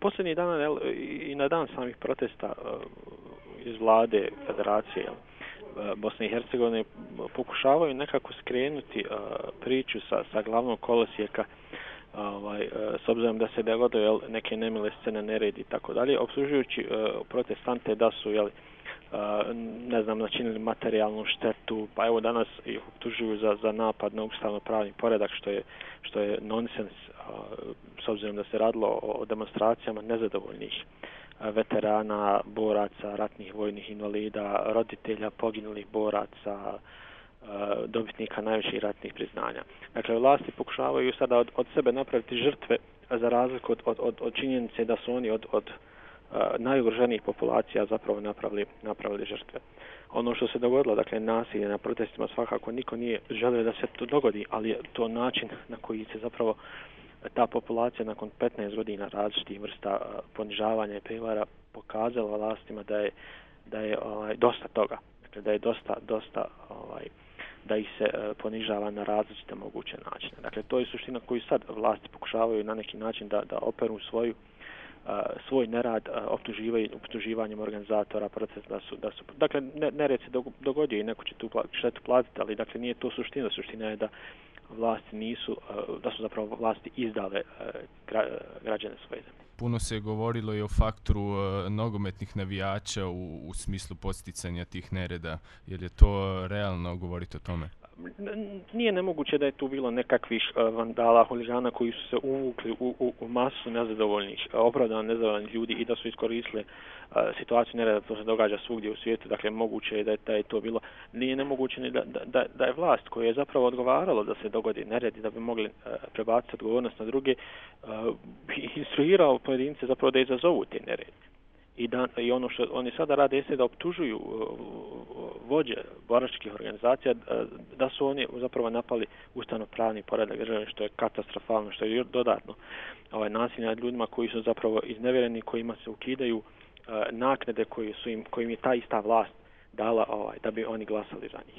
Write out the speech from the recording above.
posljednjih dana i na dan samih protesta iz vlade Federacije Bosne i Hercegovine pokušavaju nekako skrenuti priču sa glavnog kolosijeka, s obzirom da se dogodilo neke nemile scene, nered i tako dalje, optužujući protestante da su načinili materijalnu štetu, pa evo danas ih optužuju za napad na ustavno-pravni poredak, što je nonsens, s obzirom da se radilo o demonstracijama nezadovoljnih veterana, boraca, ratnih vojnih invalida, roditelja poginulih boraca, dobitnika najviših ratnih priznanja. Dakle, vlasti pokušavaju sada od sebe napraviti žrtve, za razliku od činjenice da su oni od najugroženijih populacija zapravo napravili žrtve. Ono što se dogodilo, dakle, nasilje na protestima, svakako niko nije želio da se to dogodi, ali je to način na koji se zapravo ta populacija nakon 15 godina različitih vrsta ponižavanja i prevara pokazala vlastima da je dosta toga. Dakle, da je dosta da ih se ponižava na različite moguće načine. Dakle, to je suština koju sad vlasti pokušavaju na neki način da operu svoj nerad optuživanjem organizatora protesta da su dakle, nered se dogodio i neko će tu štetu platiti, ali dakle nije to suština. Suština je da vlasti da su zapravo vlasti izdale građane svoje zemlje. Puno se je govorilo i o faktoru nogometnih navijača u smislu posticanja tih nereda. Je li je to realno govoriti o tome? Nije nemoguće da je tu bilo nekakvih vandala, huligana koji su se uvukli u masu nezadovoljnih, opravdano nezadovoljnih ljudi i da su iskoristili situaciju nereda. To se događa svugdje u svijetu, dakle moguće je da je to bilo. Nije nemoguće ni da je vlast koja je zapravo odgovaralo da se dogodi nered i da bi mogli prebaciti odgovornost na druge, instruirao pojedince zapravo da izazovu te nerede. I ono što oni sada rade jeste da optužuju vođe boračkih organizacija da su oni zapravo napali ustavno-pravni poredak države, što je katastrofalno, što je dodatno nasilje nad ljudima koji su zapravo iznevjereni, kojima se ukidaju naknade kojim je ta ista vlast dala da bi oni glasali za njih.